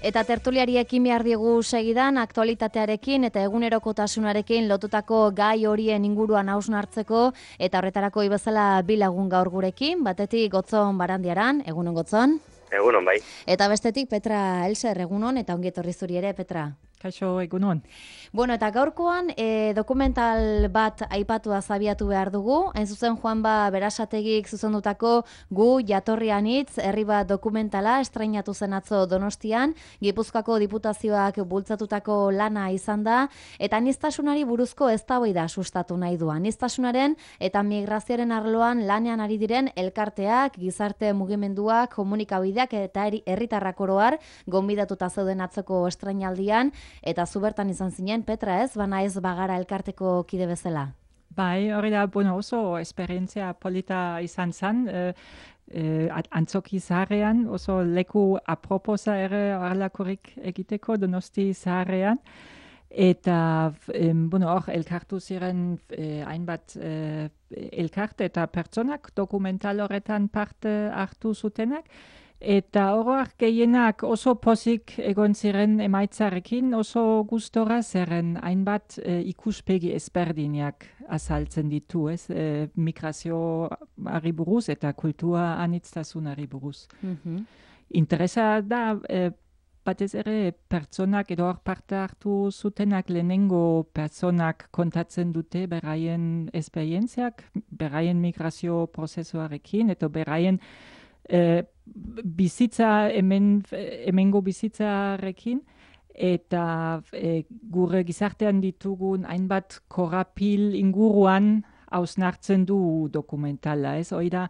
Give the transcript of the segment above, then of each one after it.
Eta tertuliari ekin behar diegu segidan, aktualitatearekin eta egunerokotasunarekin lotutako gai horien inguruan hausnartzeko, eta horretarako ibezala bi lagun gaur gurekin, batetik Gotzon Barandiaran, egunon Gotzon. Egunon, bai. Eta bestetik Petra Elser, egunon, eta ongi etorri zuri ere, Petra. Kaixo, egunon. Bueno, eta gaurkoan dokumental bat aipatua zabiatu behar dugu. Hain zuzen Juanba Berasategik zuzendutako Gu jatorri anitz herri bat dokumentala estreinatu zen atzo Donostian, Gipuzkoako Diputazioak bultzatutako lana izan da, eta aniztasunari buruzko eztabaida sustatu nahi du. Aniztasunaren eta migrazioaren arloan lanean ari diren elkarteak, gizarte mugimenduak, komunikabideak eta herritarrak oro har gonbidatuta zeuden atzoko estreinaldian. Eta zu bertan izan zinen, Petra, ez? Bana ez bagara elkarteko kide bezala. Bai, hori da, oso esperientzia polita izan zen, antzoki zaharrean, oso leku aproposa ere harlakorik egiteko Donosti zaharrean. Eta, hor, elkartu ziren hainbat elkarte eta pertsonak dokumental horretan parte hartu zutenak. Eta oroak gehienak oso pozik egon ziren emaitzarekin, oso gustora zeren hainbat ikuspegi ezberdinak azaltzen ditu, ez? Migrazioari buruz eta kultura anitzasunari buruz. Interesa da, batez ere pertsonak edo hor parte hartu zutenak lehenengo pertsonak kontatzen dute beraien esperientziak, beraien migrazio prozesuarekin eta beraien bizitza, hemengo bizitzarekin, eta gure gizartean ditugun hainbat korapil inguruan hausnartzen du dokumentala, ez? Hori da,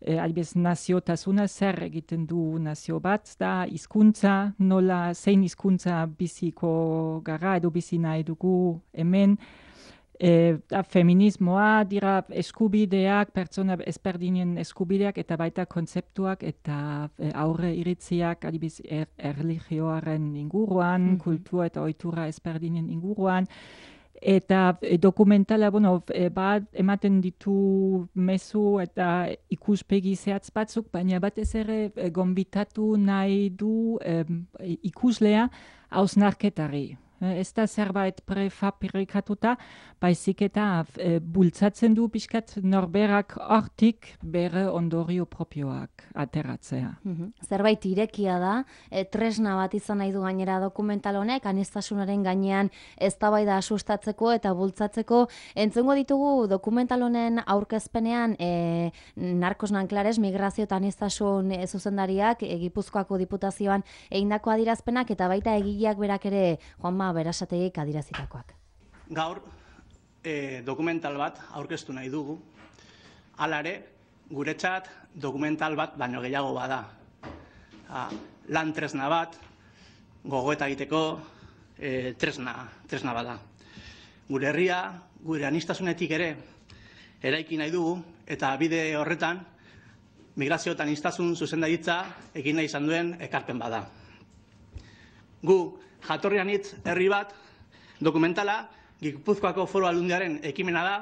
adibidez naziotasuna zer egiten du nazio bat, da hizkuntza, nola zein hizkuntza biziko gara edo bizi nahi dugu hemen, feminismoa dira eskubideak, pertsona ezberdinen eskubideak eta baita kontzeptuak eta aurre iritziak adibidez erlijioaren inguruan, kultura eta ohitura ezberdinen inguruan. Eta dokumentala, bat ematen ditu mezu eta ikuspegi zehatz batzuk, baina batez ere gonbitatu nahi du ikuslea hausnarketari. Ez da zerbait prefabrikatuta, baizik eta bultzatzen du pixkat norberak hortik bere ondorio propioak ateratzea. Zerbait irekia da, tresna bat izan nahi du gainera dokumental honek, aniztasunaren gainean eztabaida sustatzeko eta bultzatzeko. Entzungo ditugu dokumental honen aurkezpenean Narkos Nanklares, migrazio eta aniztasun zuzendariak, Gipuzkoako Diputazioan egindako adierazpenak eta baita egileak berak ere Juanba Berasategik adierazitakoak. Gaur dokumental bat aurkeztu nahi dugu. Hala ere, guretzat dokumental bat baino gehiago bada. Lan tresna bat, gogoeta egiteko tresna bada. Gure herria, gure aniztasunetik ere eraiki nahi dugu, eta bide horretan migrazio eta aniztasun zuzendaritza egin nahi izan duen ekarpen bada. Gu jatorri anitz herri bat dokumentala Gipuzkoako Foru Aldundiaren ekimena da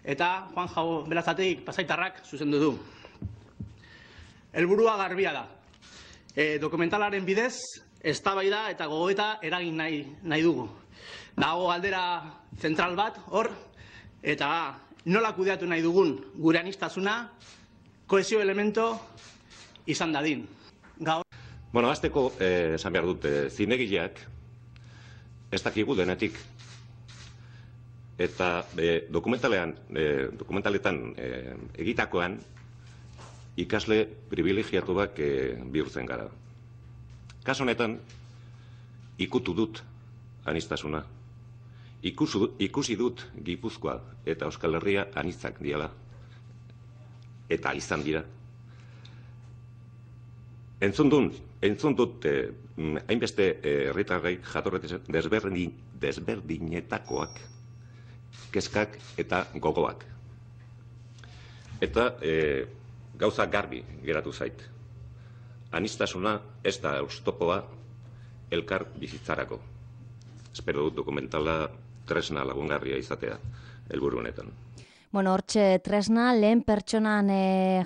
eta Juanba Berasategik Pasaitarrak zuzendu du. Helburua garbia da. Dokumentalaren bidez eztabaida eta gogoeta eragin nahi dugu. Dago galdera zentral bat hor eta nola kudeatu nahi dugun gure aniztasuna kohesio elemento izan dadin. Hasteko esan behar dut zinegileak ez dakigu denetik. Eta dokumentaletan egitakoan ikasle privilegiatuak bihurtzen gara. Kasu honetan, ikutu dut aniztasuna. Ikusi dut Gipuzkoa eta Euskal Herria anitzak diala. Eta izan dira. Entzun dut hainbeste herritarrek jatorri desberdinetakoak, kezkak eta gogoak. Eta gauza garbi geratu zait. Aniztasuna ez da oztopoa elkar bizitzarako. Espero dut dokumentala tresna lagungarria izatea helburu honetan. Bueno, hortxe tresna, lehen pertsonan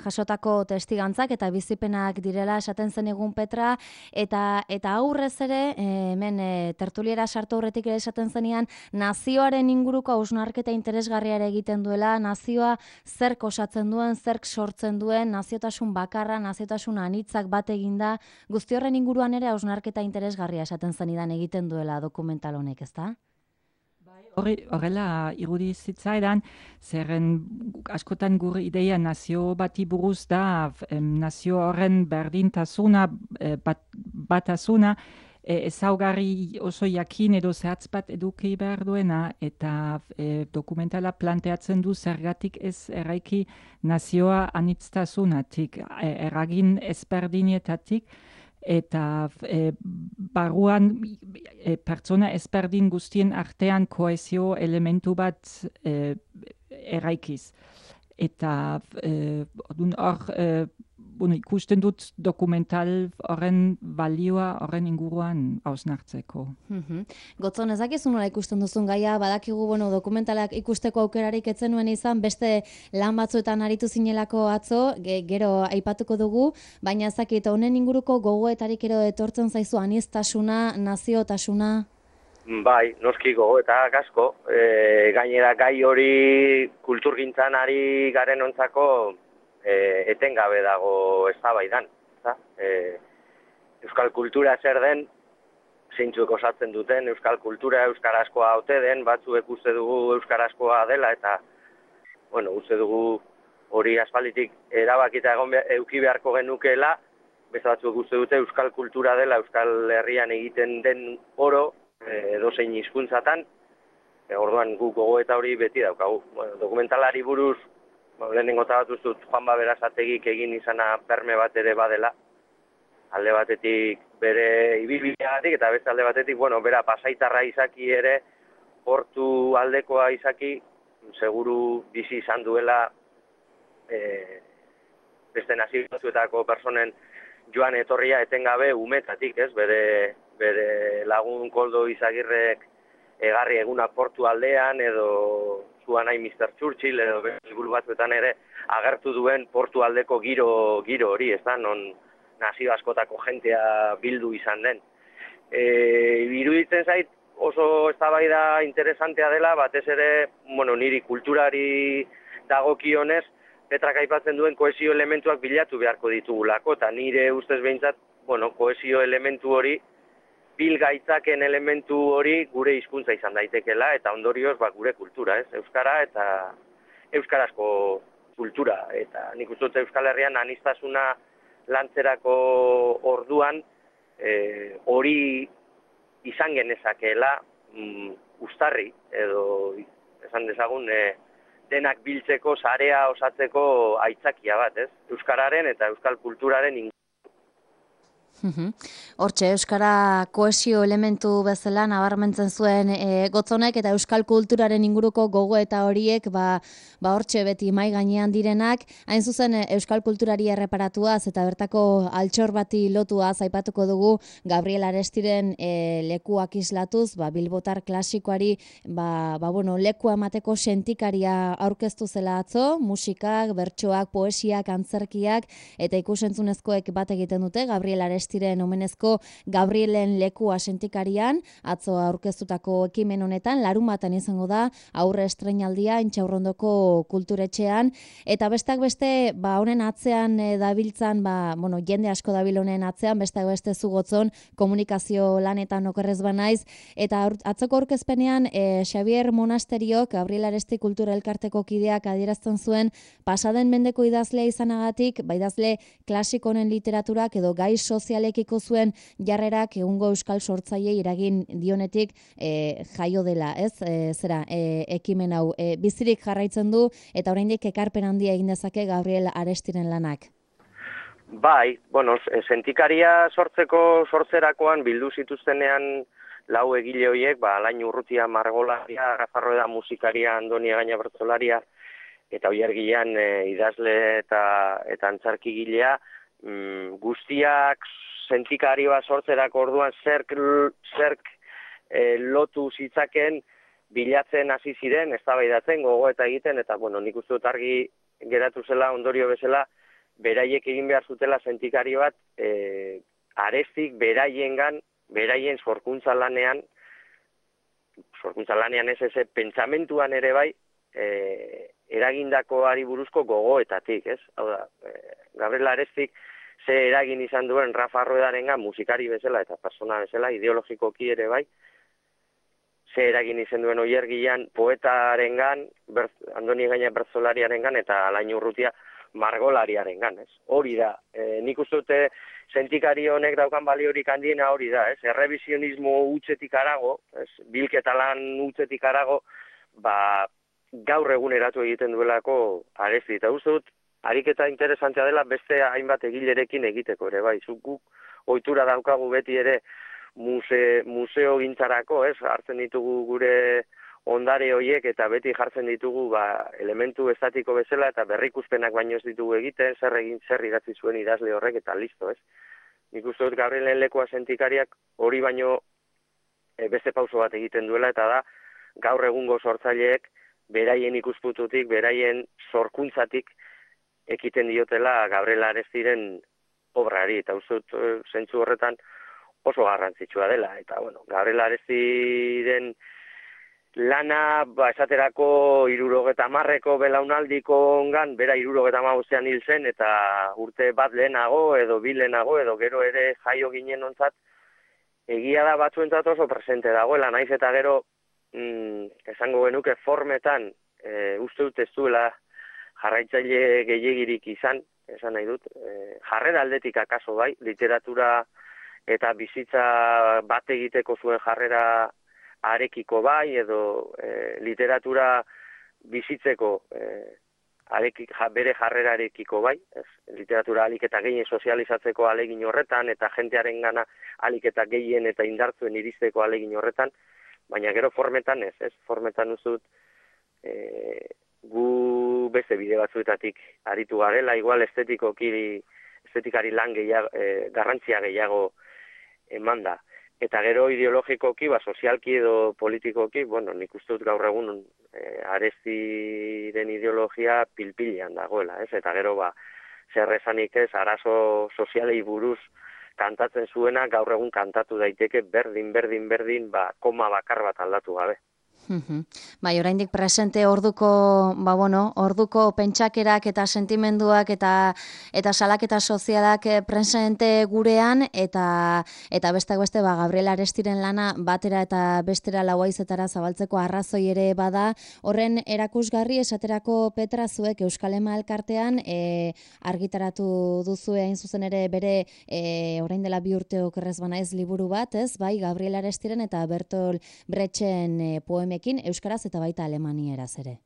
jasotako testigantzak eta bizipenak direla esaten zen egun Petra, eta aurrez ere, hemen tertuliera sartu horretik ere esaten zenean, nazioaren inguruko hausnarketa interesgarriare egiten duela, nazioa zerk osatzen duen, zerk sortzen duen, naziotasun bakarra, naziotasun anitzak bat eginda, guzti horren inguruan ere hausnarketa interesgarria esaten zenidan egiten duela dokumental honek, ezta? Horrela irudi zitzaidan, zerren askotan gure ideia nazio bati buruz da, nazio horren berdintasuna, batasuna, ezaugarri oso jakin edo zehatz bat eduki behar duena, eta dokumentala planteatzen du zergatik ez eraiki nazioa anitztasunatik, eragin ezberdinetatik, eta barruan pertsona ezberdin guztien artean kohesio elementu bat eraikiz. Eta hor ikusten dut dokumental horren balioa horren inguruan hausnartzeko. Gotzon, ez dakizu nola ikusten duzun gaia, badakigu dokumentalak ikusteko aukerarik ez zenuen izan, beste lan batzuetan aritu zinelako atzo, gero aipatuko dugu, baina ez dakit honen inguruko gogoetarik ero etortzen zaizu aniztasuna, naziotasuna? Bai, noski gogoetak asko. Gainera gai hori kulturgintzan ari garen ontzako etengabe dago eztabaidan. Euskal kultura zer den, zeintzuek osatzen duten, euskal kultura euskarazkoa ote den, batzuek uste dugu euskarazkoa dela, eta uste dugu hori aspalditik erabakita eduki beharko genukeela, beste batzuek uste dute euskal kultura dela, euskal herrian egiten den oro, edozein hizkuntzatan, orduan guk gogoeta hori beti daukagu. Dokumentalari buruz, lehenengo bat dut Juanba Berasategik egin izana berme bat ere badela, alde batetik bere ibilbideagatik eta beste alde batetik, bera pasaitarra izaki ere, portu aldekoa izaki, seguru bizi izan duela beste nazio batzuetako personen joan etorria etengabe umetatik, ez? Bere lagun Koldo Izagirrek egarri eguna portu aldean, edo zuan nahi Mr. Churchill, edo liburu batzuetan ere agertu duen portu aldeko giro hori, ez da, non nazio askotako jentea bildu izan den. Iruditzen zait oso eztabaida interesantea dela, batez ere, niri kulturari dagokionez, Petrak aipatzen duen kohesio elementuak bilatu beharko ditugulako, eta nire ustez behintzat, kohesio elementu hori, bilgaitzaken elementu hori gure hizkuntza izan daitekela, eta ondorioz gure kultura, ez? Euskara eta euskarazko kultura. Eta nik uste dut Euskal Herrian aniztasuna lantzerako orduan hori izan genezakeela uztarri, edo esan dezagun denak biltzeko, sarea osatzeko aitzakia bat, ez? Euskararen eta euskal kulturaren inguruan. Hortxe, euskara kohesio elementu bezala nabarmentzen zuen Gotzonek eta euskal kulturaren inguruko gogoeta horiek hortxe beti mai gainean direnak, hain zuzen euskal kulturari erreparatuaz eta bertako altxor bati lotuaz aipatuko dugu Gabriel Arestiren lekuak islatuz, bilbotar klasikoari lekua emateko sentikaria aurkeztu zela atzo, musikak, bertsoak, poesiak, antzerkiak eta ikusentzunezkoek bat egiten dute Gabriel Arestiren omenezko Gabrielen lekua sentikarian, atzo aurkeztutako ekimen honetan, larunbatan izango da, aurre estreinaldia Intxaurrondoko kulturetxean, eta besteak beste, honen atzean dabiltzan, jende asko dabil honen atzean, besteak beste zu Gotzon, komunikazio lanetan okerrez banaiz, eta atzoko aurkezpenean, Xavier Monasteriok, Gabriel Aresti Kultura Elkarteko kideak adierazten zuen, pasaden mendeko idazlea izanagatik, idazle klasikonen literaturak edo gai sozialekiko zuen jarrerak egungo euskal sortzaileei eragin dionetik jaio dela, ez? Ekimen hau bizirik jarraitzen du eta oraindik ekarpen handia egin dezake Gabriel Arestiren lanak. Bai, sentikaria sortzerakoan bildu zituztenean lau egile horiek, Alain Urrutia margolaria, Rafarroeda musikaria, Andoni Gaina bertsolaria, eta Oiergilean idazle eta antzarkigilea, guztiak sentikarioa sortzerako orduan zerk lotu zitzaken bilatzen hasi ziren, eztabaidatzen, gogoeta egiten, eta, bueno, nik uste dut argi geratu zela, ondorio bezala, beraiek egin behar zutela sentikario bat, Arestik beraien sorkuntza lanean ez pentsamentuan ere bai, eragindakoari buruzko gogoetatik, ez? Hau da, Gabriel Arestik ze eragin izan duen Rafa Ruedarengan musikari bezala eta persona bezala, ideologikoki ere bai, ze eragin izan duen Oiergian poetarengan, Andoni Gaina bertsolariarengan eta Alain Urrutia margolariarengan, ez? Hori da, nik uste dute sentikari honek daukan baliorik handiena hori da, ez? Errevisionismo hutsetik arago, ez? Bilketa lan hutsetik arago, gaur eguneratu egiten duelako Aresti, eta uste dut, ariketa interesantea dela beste hainbat egilerekin egiteko ere, bai, guk ohitura daukagu beti ere museo gintzarako, ez, hartzen ditugu gure ondare horiek eta beti jartzen ditugu elementu estatiko bezala eta berrikuspenak baino ez ditugu egiten, zer idatzi zuen idazle horrek eta listo, ez. Nik uste dut Gabrielen lekua sentikariak hori baino beste pauso bat egiten duela eta da gaur egungo sortzaileek beraien ikuspuntutik, beraien sorkuntzatik ekiten diotela Gabriel Arestiren obrari, eta uste dut zentzu horretan oso garrantzitsua dela. Eta, bueno, Gabriel Arestiren lana, esaterako 70ko belaunaldiko ongan, bera 75ean hil zen, eta urte bat lehenago, edo bi lehenago, edo gero ere jaio ginen ontzat, egia da batzuentzat oso presente dagoela, naiz eta gero, esango genuke formetan, uste dut ez duela jarraitzaile gehiegirik izan, esan nahi dut, jarrera aldetik akaso bai, literatura eta bizitza bat egiteko zuen jarrera arekiko bai, edo literatura bizitzeko bere jarrerarekiko bai, literatura alik eta gehien sozializatzeko alegin horretan, eta jentearen gana alik eta gehien eta indartzuen iristeko alegin horretan, baina gero formetan ez, formetan uste dut, gu beste bide batzuetatik aritu garela, igual estetikari lan garrantzia gehiago eman da. Eta gero ideologikoki, sozialki edo politikoki, bueno, nik uste dut gaur egun Arestiren ideologia pilpilean dagoela, ez? Eta gero zer esanik ez, arazo sozialei buruz kantatzen zuena, gaur egun kantatu daiteke berdin, koma bakar bat aldatu gabe. Bai, oraindik presente orduko pentsakerak eta sentimenduak eta salaketa sozialak presente gurean eta besteak beste Gabriel Arestiren lana batera eta bestera lauaizetara zabaltzeko arrazoi ere bada. Horren erakusgarri esaterako Petra zuek Euskal Ema elkartean argitaratu duzu hain zuzen ere bere orain dela 2 urte okerrez banaiz liburu bat, ez? Bai, Gabriel Arestiren eta Bertolt Brechten poemekin euskaraz eta baita alemanieraz ere.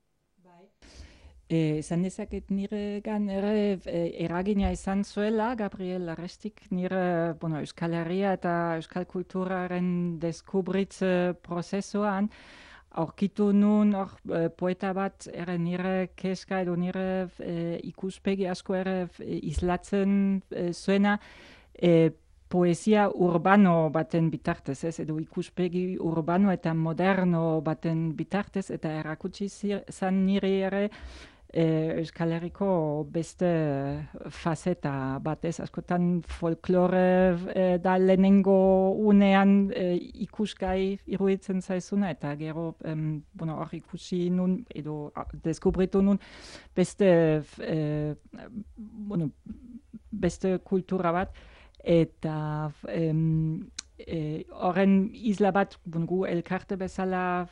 Esan dezaket niregan ere eragina izan zuela Gabriel Arestik nire Euskal Herria eta Euskal Kulturaren deskubritze prozesuan aurkitu nun poeta bat ere nire keska edo nire ikuspegi asko ere islatzen zuena poesia urbano baten bitartez, edo ikuspegi urbano eta moderno baten bitartez, eta erakutsi zan nire ere Euskal Herriko beste faceta batez, askotan folklore da lehenengo unean ikusgai iruditzen zaizuna, eta gero hor ikusi nun, edo deskubritu nun beste kultura bat, eta horren isla bat gu elkarte bezala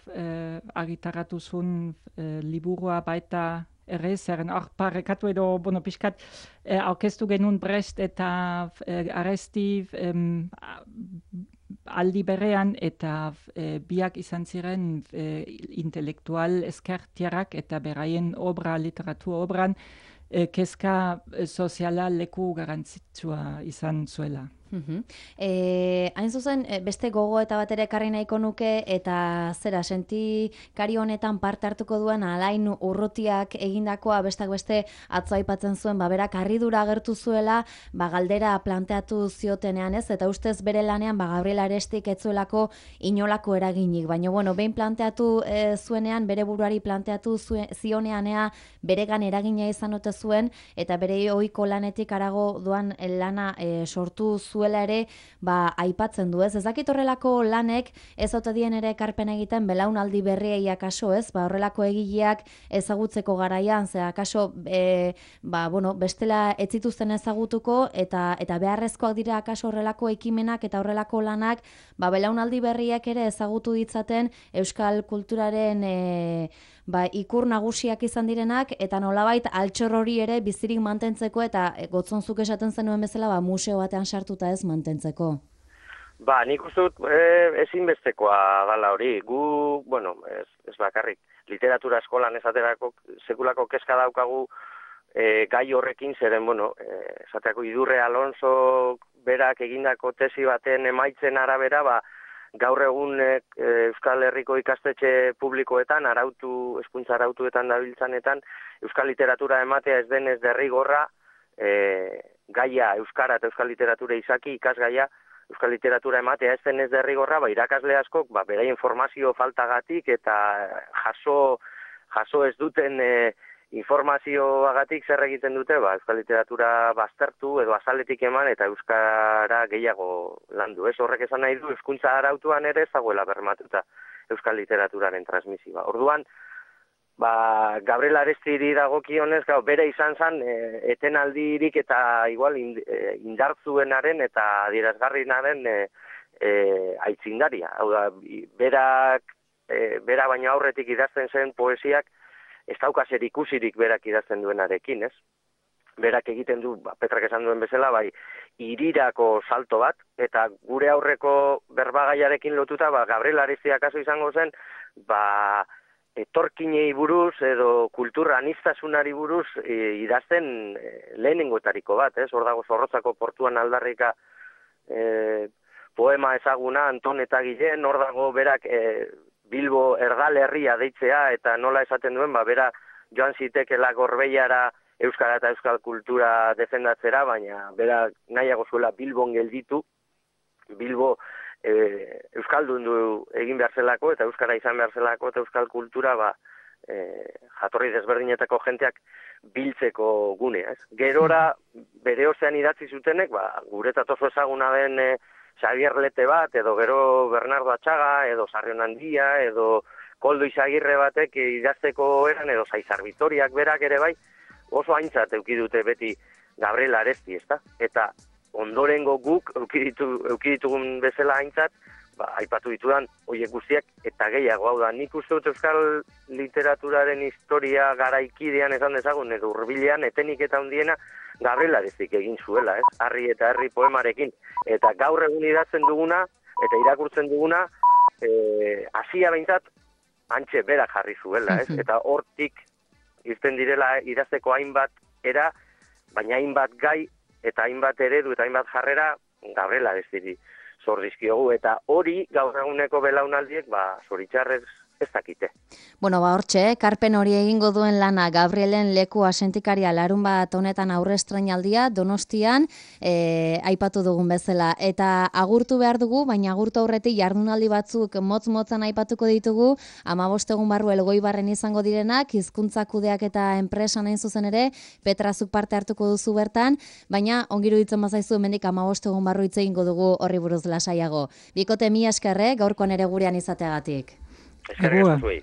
argitaratu zuen liburua baita ere, zeren hor parrekatu edo pixkat aurkeztu genuen Brecht eta Aresti aldi berean, eta biak izan ziren intelektual ezkertiarrak eta beraien literatur obran kezka soziala leku garrantzitsua izan zuela. Hain zuzen, beste gogo eta bat ere ekarri nahiko nuke, eta zera, sentikari honetan parte hartuko duen Alain Urrutiak egindakoa bestak beste atzo aipatzen zuen, berak harridura agertu zuela, galdera planteatu ziotenean ez, eta ustez bere lanean Gabriel Arestik ez zuelako inolako eraginik, baina bueno, behin planteatu zuenean, bere buruari planteatu zioneanea beregan eragina izan ote zuen, eta bere ohiko lanetik harago doan lana sortu zuela ere, aipatzen du, ez? Ez dakit horrelako lanek ez ote dien ere ekarpen egiten belaunaldi berriei akaso, ez? Horrelako egileak ezagutzeko garaian, ze akaso bestela ez zituzten ezagutuko eta beharrezkoak dira akaso horrelako ekimenak eta horrelako lanak, belaunaldi berriak ere ezagutu ditzaten euskal kulturaren ikur nagusiak izan direnak, eta nolabait altxor hori ere bizirik mantentzeko, eta gotzonzuk esaten zenuen bezala museo batean sartuta ez mantentzeko. Nik uste dut ezinbestekoa dala hori. Gu, ez bakarrik, literatura eskolan esaterako sekulako kezka daukagu gai horrekin, zeren, esaterako Idurre Alonso berak egindako tesi baten emaitzen arabera, gaur egun Euskal Herriko ikastetxe publikoetan, hezkuntza arautuetan dabiltzanetan, euskal literatura ematea ez denez derrigorra, gaia euskara eta euskal literatura izaki, ikasgaia, euskal literatura ematea ez denez derrigorra, irakasle askok, beraien informazio faltagatik eta jaso ez duten informazioagatik zer egiten dute, euskal literatura baztertu edo azaletik eman eta euskara gehiago landu. Ez horrek esan nahi du, hezkuntza arautuan ere ez dagoela bermatuta euskal literaturaren transmisioa. Orduan, Gabriel Arestiri dagokionez, bere izan zen etenaldirik eta igual indartzuenaren eta adierazgarriaren aitzindaria. Hau da, bera baino aurretik idazten zen poesiak ez dauka zer ikusirik berak idazten duenarekin, ez? Berak egiten du, Petrak esan duen bezala, hirirako salto bat, eta gure aurreko berbagaiarekin lotuta, Gabriel Aresti akaso izango zen, etorkinei buruz edo kultura anistasunari buruz idazten lehenengoetariko bat, ez? Hor dago Zorrotzako portuan aldarrika poema ezaguna, Anton eta Gilen, hor dago berak Bilbo erdal herria deitzea, eta nola esaten duen, bera joan zitekela Gorbeiara euskara eta euskal kultura defendatzera, baina bera nahiago zuela Bilbon gelditu, Bilbo euskaldun du egin behar zelako, eta euskara izan behar zelako, eta euskal kultura jatorri desberdinetako jenteak biltzeko gunea. Gerora, bere ozean idatzi zutenek, guretzat oso ezaguna den Xavier Lete bat, edo gero Bernardo Atxaga, edo Sarrion Handia, edo Koldo Izagirre batek idazteko eran, edo Zaizar Vitoriak berak ere oso aintzat eukidute beti Gabriel Aresti, ezta? Eta ondorengo guk eukiditugun bezala aintzat, aipatu ditudan horiek guztiak eta gehiago. Hau da, nik uste dut euskal literaturaren historia garaikidean esan dezagun, edo hurbilean etenik eta handiena Gabriel Arestik egin zuela, ez? Harri eta herri poemarekin. Eta gaur egun idatzen duguna, eta irakurtzen duguna, hasia behintzat, antxe berak jarri zuela, ez? Eta hortik irten direla idazteko hainbat era, baina hainbat gai, eta hainbat eredu, eta hainbat jarrera, Gabriel Arestiri zor dizkiogu. Eta hori gaur eguneko belaunaldiek, zoritxarrez ez dakite. Hortxe, karpen hori egingo duen lana Gabrielen leku asentikaria larunbat honetan aurre estreinaldia Donostian aipatu dugun bezala. Eta agurtu behar dugu, baina agurtu aurretik jardunaldi batzuk motz-motzan aipatuko ditugu, 15 egun barru Elgoibarren izango direnak, hizkuntza kudeak eta enpresan hain zuzen ere, Petrazuk parte hartuko duzu bertan, baina ongiru ditzen bazaizu hemendik 15 egun barru hitz egingo dugu horri buruz lasaiago. Bikote, mila esker, gaurkoan ere gurean izateagatik. Eskerrik asko zuei.